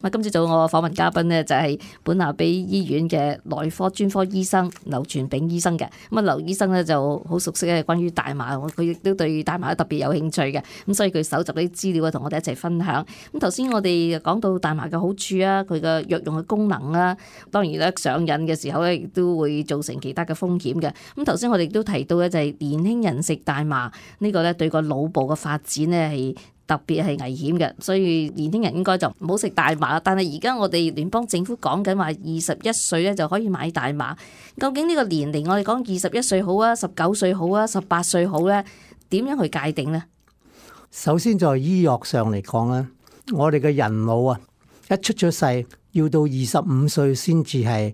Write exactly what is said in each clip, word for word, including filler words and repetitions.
咁今朝早我訪問嘉賓呢，就係本拿比醫院嘅內科專科醫生劉傳炳醫生嘅。咁啊，劉醫生呢就好熟悉嘅關於大麻，佢亦都對大麻特別有興趣嘅。咁所以佢搜集啲資料啊，同我哋一齊分享。咁頭先我哋講到大麻嘅好處啊，佢嘅藥用嘅功能啊，當然咧上癮嘅時候咧，亦都會造成其他嘅風險嘅。咁頭先我哋都提到咧，就係年輕人食大麻呢個咧，對個腦部嘅發展咧係特別係危險嘅，所以年輕人應該就唔好食大麻。但係而家我哋聯邦政府講緊話，二十一歲咧就可以買大麻。究竟呢個年齡，我哋講二十一歲好啊，十九歲好啊，十八歲好咧，點樣去界定呢？首先在醫學上嚟講咧，我哋嘅人腦啊，一出咗世要到二十五歲先至係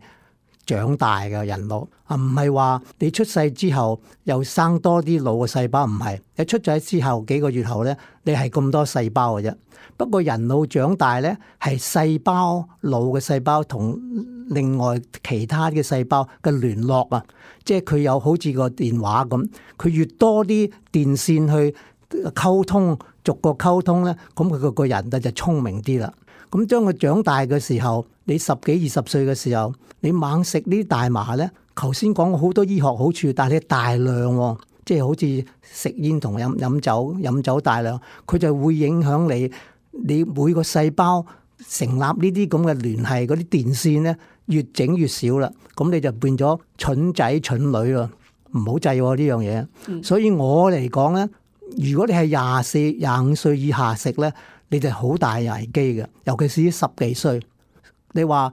長大嘅人腦啊，唔係話你出世之後又生多啲腦嘅細胞，唔係，你出咗之後幾個月後咧，你係咁多細胞嘅啫。不過人腦長大咧，係細胞腦嘅細胞同另外其他嘅細胞嘅聯絡啊，即係佢有好似個電話咁，佢越多啲電線去溝通，逐個溝通咧，咁佢個個人就聰明啲啦。咁將佢長大嘅時候，你十幾二十歲嘅時候，你猛食呢啲大麻咧，頭先講過好多醫學好處，但係你大量喎，即係好似食煙同飲飲酒，飲酒大量，佢就會影響你，你每個細胞成立呢啲咁嘅聯繫嗰啲電線咧，越整越少啦，咁你就變咗蠢仔蠢女咯，唔好制喎呢樣嘢。嗯、所以我嚟講咧，如果你係廿四、廿五歲以下食咧，你就好大危機嘅，尤其是十幾歲。你話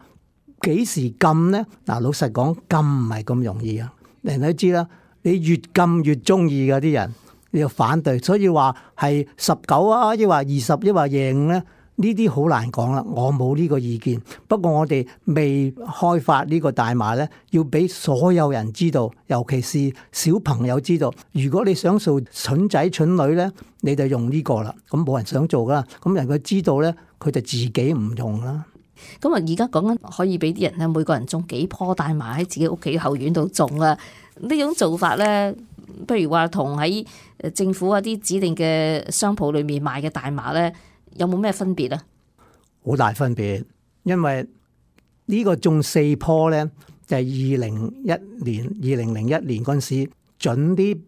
幾時禁呢？嗱，老實講，禁唔係咁容易啊！人都知啦，你越禁越中意嘅啲人，你要反對。所以話係十九啊，抑或二十，抑或廿五咧，呢啲好難講啦。我冇呢個意見。不過我哋未開發呢個大麻咧，要俾所有人知道，尤其是小朋友知道。如果你想做蠢仔蠢女咧，你就用呢個啦。咁冇人想做噶啦。咁人佢知道咧，佢就自己唔用啦。咁啊，而家講緊可以俾啲人咧，每個人種幾棵大麻喺自己屋企後院度種啊。呢種做法咧，不如話同喺政府啊啲指定嘅商鋪裏面賣嘅大麻咧，有冇咩分別啊？好大分別，因為呢個種四棵咧，就係二零一年、二零零一年嗰陣時準啲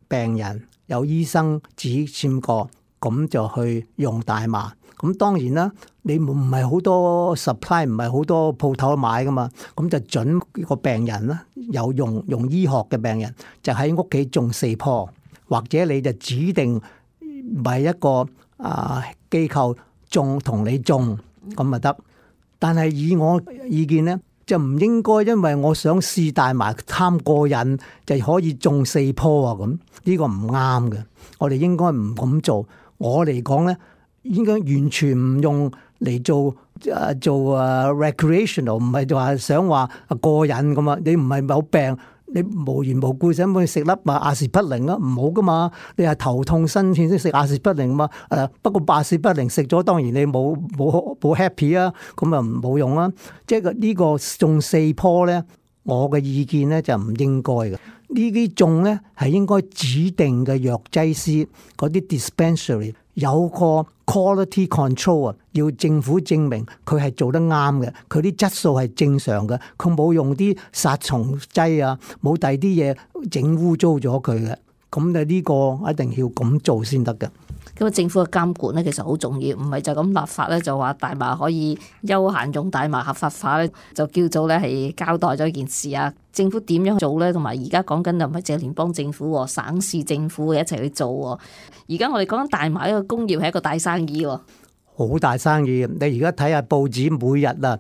病人有醫生指簽過，咁就去用大麻。咁當然啦，你唔係好多 supply，唔係好多鋪頭買噶嘛，咁就準個病人啦，有用用醫學嘅病人就喺屋企種四棵，或者你就指定買一個啊機構種同你種咁咪得。但係以我意見咧，就唔應該因為我想試大麻貪過癮就可以種四棵啊，咁呢個唔啱嘅。我哋應該唔咁做。我嚟講咧，應該完全唔用嚟做誒做誒 recreational， 唔係話想話過癮咁啊！你唔係冇病，你無緣無故想去食粒啊阿士匹靈啊，唔好噶嘛！你係頭痛身痛先食阿士匹靈嘛？誒不過阿士匹靈食咗，當然你冇冇冇 happy 啊，咁啊冇用啦。即係呢個種四棵咧，我嘅意見咧就唔應該嘅。呢啲種咧係應該指定嘅藥劑師嗰啲 dispensary 有個 quality control 啊，要政府證明佢係做得啱嘅，佢啲質素係正常嘅，佢冇用啲殺蟲劑啊，冇第二啲嘢整污糟咗佢嘅。咁就呢個一定要咁做先得嘅。咁啊，政府嘅監管咧其實好重要，唔係就咁立法咧就話大麻可以休閒用，大麻合法化咧就叫做咧係交代咗件事啊。政府點樣做咧？同埋而家講緊就唔係淨係聯邦政府，省市政府一齊去做。而家我哋講緊大麻呢個工業係一個大生意，好大生意。你而家睇下報紙每日啊，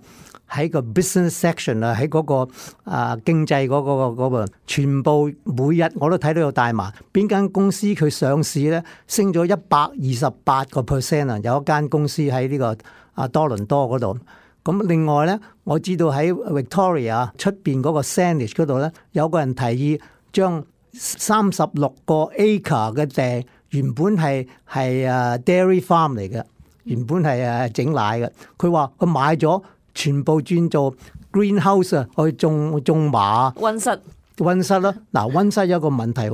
喺個 business section 啊，喺嗰個啊經濟嗰個嗰個，全部每日我都睇到有大麻。邊間公司佢上市咧，升咗一百二十八個 percent 啊！有一間公司喺呢個啊多倫多嗰度。咁另外咧，我知道喺 Victoria 出邊嗰個 Saanich 嗰度咧，有個人提議將三十六個 acre 嘅地原本係係啊 dairy farm 嚟嘅，原本係啊整奶嘅。佢話佢買咗，全部轉做 greenhouse 啊，去種種麻。溫室溫室啦，嗱溫室有一個問題，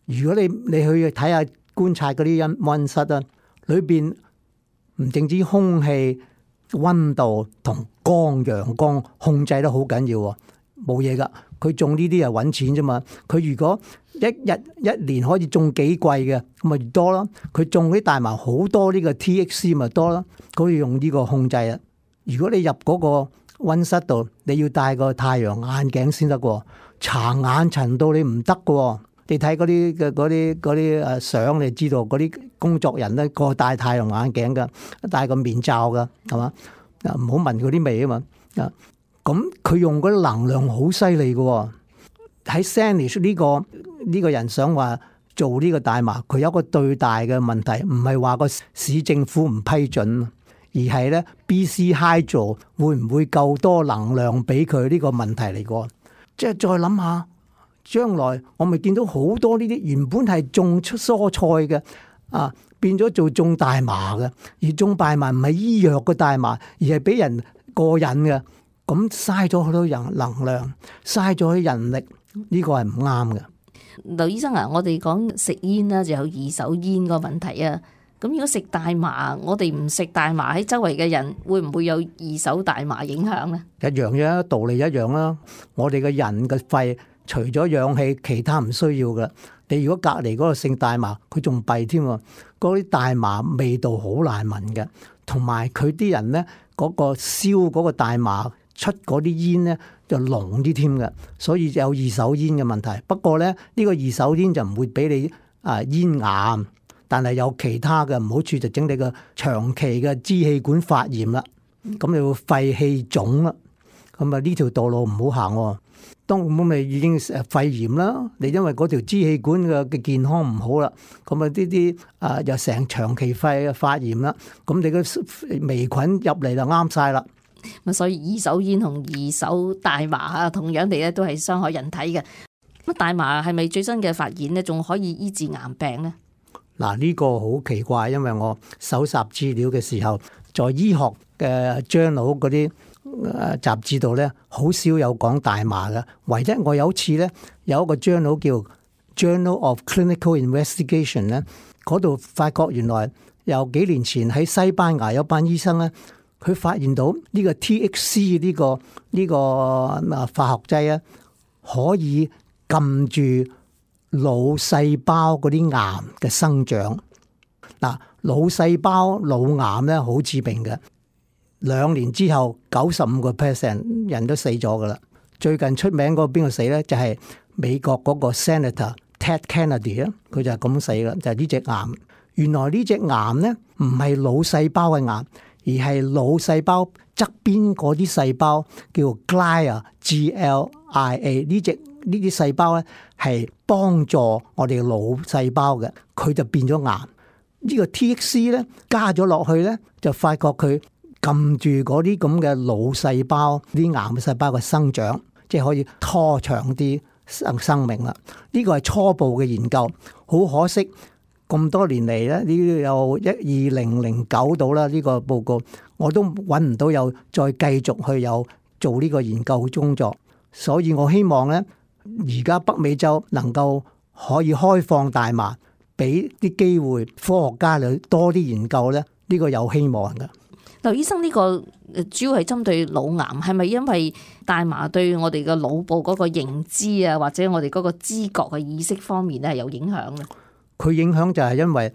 如果你你去睇下觀察嗰啲溫溫室啊，裏邊唔淨止空氣溫度同光陽光控制得好緊要喎，冇嘢噶。佢種呢啲係揾錢啫嘛。佢如果一日一年可以種幾季嘅，咁咪越多咯。佢種啲大麻好多呢個 T H C 咪多咯。佢用呢個控制啊。如果你入嗰個溫室度，你要戴個太陽眼鏡先得喎，搽眼塵到你唔得喎。你睇嗰啲嘅嗰啲嗰啲誒相，你知道嗰啲工作人咧個戴太陽眼鏡噶，戴個面罩噶，係嘛？啊，唔好聞嗰啲味啊嘛。啊，咁佢用嗰啲能量好犀利嘅。喺 Sanish 呢個呢個人想話做呢個大麻，佢有一個最大嘅問題，唔係話個市政府唔批准，而係咧 B C Hydro 會唔會夠多能量俾佢呢個問題嚟過。即係再諗下。將來我咪見到好多呢啲原本係種出蔬菜嘅啊，變咗做種大麻嘅，而種大麻唔係醫藥嘅大麻，而係俾人過癮嘅，咁嘥咗好多人能量，嘥咗啲人力，呢個係唔啱嘅。劉醫生啊，我哋講食煙啦，就有二手煙個問題啊。咁如果食大麻，我哋唔食大麻，喺周圍嘅人會唔會有二手大麻影響咧？一樣嘅道理一樣啦。我哋嘅人嘅肺除咗氧氣，其他唔需要噶。你如果隔離嗰個姓大麻，佢仲弊添喎。嗰啲大麻味道好難聞嘅，同埋佢啲人咧嗰個燒嗰個大麻出嗰啲煙咧就濃啲添嘅，所以有二手煙嘅問題。不過咧呢個二手煙就唔會俾你啊煙癌，但係有其他嘅唔好處，就整你個長期嘅支氣管發炎啦，咁你會肺氣腫啦，咁啊呢條道路唔好行喎。當咁咪已經肺炎啦，你因為嗰條支氣管嘅嘅健康唔好啦，咁啊呢啲啊又成長期肺嘅發炎啦，咁你個微菌入嚟就啱晒啦。咁所以二手煙同二手大麻啊，同樣地咧都係傷害人體嘅。咁大麻係咪最新嘅發現咧，仲可以醫治癌病咧？嗱，呢個好奇怪，因為我搜集資料嘅時候，在醫學嘅 journal 嗰啲誒雜誌度咧，好少有講大麻嘅。唯一我有一次咧，有一個 journal 叫 Journal of Clinical Investigation 咧，嗰度發覺原來有幾年前喺西班牙有班醫生咧，佢發現到呢個 T H C 呢個呢個啊化學劑啊，可以撳住腦細胞嗰啲癌嘅生長。嗱，腦細胞腦癌咧好致命嘅，兩年之後九十五個 percent 人都死咗噶啦。最近出名嗰個邊個死咧？就係美國嗰個 Senator Ted Kennedy 啊，佢就係咁死啦，就係呢隻癌。原來呢隻癌咧唔係腦細胞嘅癌，而係腦細胞側邊嗰啲細胞叫 glia G L I A 呢隻。呢啲細胞咧係幫助我哋嘅腦細胞嘅，佢就變咗癌。呢個 T H C 咧加咗落去咧，就發覺佢撳住嗰啲咁嘅腦細胞、啲癌嘅細胞嘅生長，即係可以拖長啲生生命啦。呢個係初步嘅研究，好可惜咁多年嚟咧，呢有一二零零九到啦呢個報告，我都揾唔到有再繼續去有做呢個研究工作，所以我希望咧。而家北美洲能夠可以開放大麻，俾啲機會科學家嚟多啲研究咧，呢個有希望㗎。劉醫生，呢個主要係針對腦癌，係咪因為大麻對我哋嘅腦部嗰個認知啊，或者我哋嗰個知覺嘅意識方面咧係有影響咧？佢影響就係因為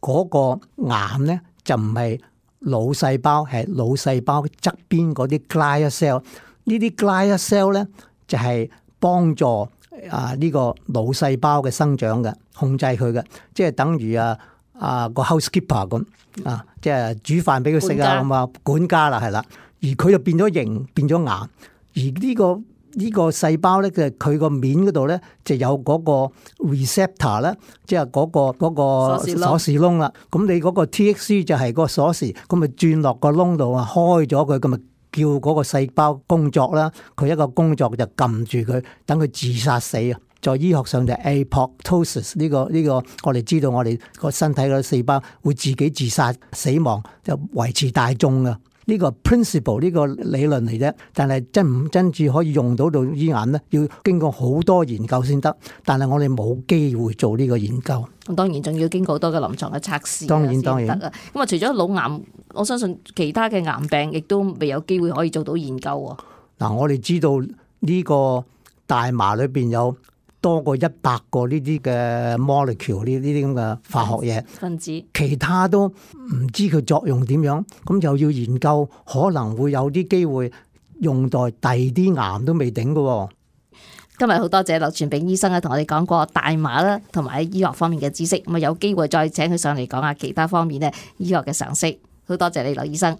嗰個癌咧就唔係腦細胞，係腦細胞側邊嗰啲 glia cell。呢啲 glia cell 咧就係幫助啊呢個腦細胞嘅生長嘅，控制佢嘅，即係等於啊啊個 housekeeper 咁啊，即係煮飯俾佢食啊咁啊，管家啦係啦，而佢就變咗形，變咗癌。而呢個呢個細胞咧，嘅佢個面嗰度咧就有嗰個 receptor 咧，即係嗰個嗰個鎖匙窿啦。咁你嗰個 T H C 就係個鎖匙，咁咪轉落個窿度啊，開咗佢咁咪。叫嗰個細胞工作啦，佢一個工作就撳住佢，等佢自殺死啊！在醫學上就係 apoptosis 呢個呢個，我哋知道我哋個身體嘅細胞會自己自殺死亡，就維持大眾啊！呢呢個 principle 呢個理論嚟啫，但係真唔真至可以用到到醫眼咧，要經過好多研究先得。但係我哋冇機會做呢個研究。咁當然仲要經過好多嘅臨床嘅測試，當然當然先得啊。咁啊，除咗腦癌，我相信其他嘅癌病亦都未有機會可以做到研究喎。嗱，我哋知道呢個大麻裏邊有多過一百個呢啲嘅 molecule 呢呢啲咁嘅化學嘢分子，其他都唔知佢作用點樣，咁又要研究，可能會有啲機會用在第二啲癌都未頂嘅。今日好多謝劉傳炳醫生啊，同我哋講過大麻啦，同埋喺醫學方面嘅知識。咁啊，有機會再請佢上嚟講下其他方面咧醫學嘅常識。好多謝你，劉醫生。